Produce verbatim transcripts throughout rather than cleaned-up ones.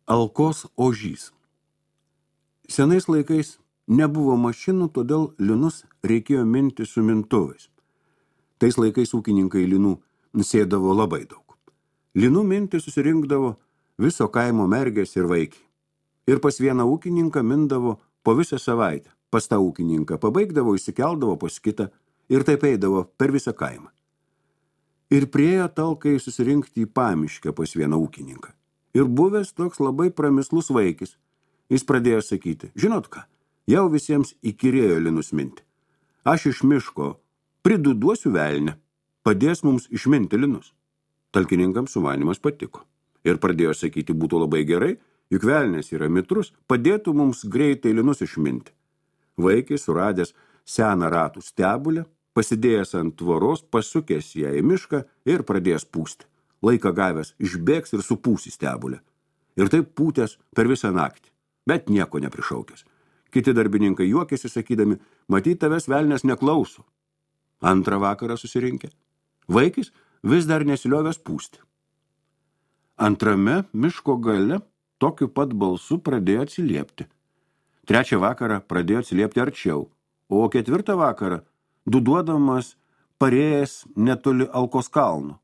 Alkos ožys. Senais laikais nebuvo mašinų, todėl linus reikėjo minti su mintuvais. Tais laikais ūkininkai linų sėdavo labai daug. Linų minti susirinkdavo viso kaimo mergės ir vaikiai. Ir pas vieną ūkininką mindavo po visą savaitę. Pas tą ūkininką pabaigdavo, įsikeldavo pas kitą ir taip eidavo per visą kaimą. Ir priejo talkai susirinkti į pamiškę pas vieną ūkininką. Ir buvęs toks labai pramislus vaikis. Jis pradėjo sakyti, žinot ką, jau visiems įkyrėjo linus minti. Aš iš miško priduduosiu velnę, padės mums išminti linus. Talkininkams sumanymas patiko. Ir pradėjo sakyti, būtų labai gerai, juk velnės yra mitrus, padėtų mums greitai linus išminti. Vaikis, suradęs seną ratų stebulę, pasidėjęs ant tvoros, pasukęs ją į mišką ir pradėjęs pūsti. Laiką gavęs išbėgs ir supūsi stebulę. Ir taip pūtęs per visą naktį, bet nieko neprišaukęs. Kiti darbininkai juokėsi, sakydami, matyt, tavęs velnės neklauso. Antrą vakarą susirinkę. Vaikis vis dar nesiliovęs pūsti. Antrame miško gale tokiu pat balsu pradėjo atsiliepti. Trečią vakarą pradėjo atsiliepti arčiau, o ketvirtą vakarą duduodamas parėjęs netoli Alkos kalno.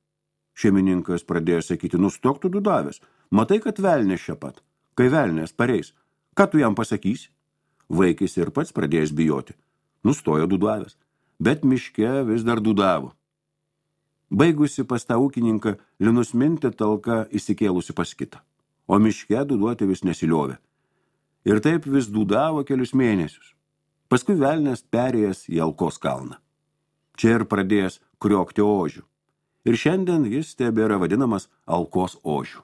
Šeimininkas pradėjo sakyti, nustok tu dudavęs, matai, kad velnės čia pat. Kai velnės pareis, ką tu jam pasakysi? Vaikis ir pats pradėjęs bijoti. Nustojo dudavęs, bet miške vis dar dudavo. Baigusi pas tą ūkininką, linus minti talka įsikėlusi pas kitą, o miške duduoti vis nesiliovė. Ir taip vis dudavo kelius mėnesius. Paskui velnės perėjęs į Alkos kalną. Čia ir pradėjęs kriokti ožių. Ir šiandien jis tebėra vadinamas Alkos ožiu.